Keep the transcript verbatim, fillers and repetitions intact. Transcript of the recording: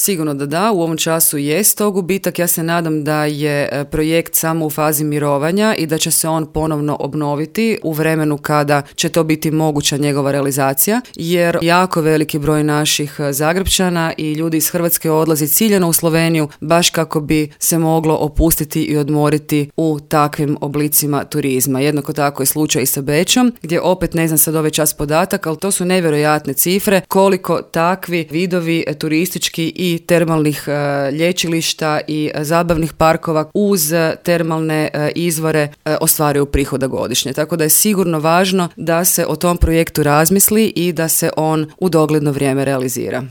Sigurno da da, u ovom času jest to gubitak. Ja se nadam da je projekt samo u fazi mirovanja i da će se on ponovno obnoviti u vremenu kada će to biti moguća njegova realizacija, jer jako veliki broj naših Zagrepčana i ljudi iz Hrvatske odlazi ciljano u Sloveniju baš kako bi se moglo opustiti i odmoriti u takvim oblicima turizma. Jednako tako je slučaj i sa Bečom, gdje opet ne znam sad ovaj čas podatak, ali to su nevjerojatne cifre koliko takvi vidovi turistički i termalnih uh, lječilišta i uh, zabavnih parkova uz termalne uh, izvore uh, ostvaruju prihoda godišnje. Tako da je sigurno važno da se o tom projektu razmisli i da se on u dogledno vrijeme realizira.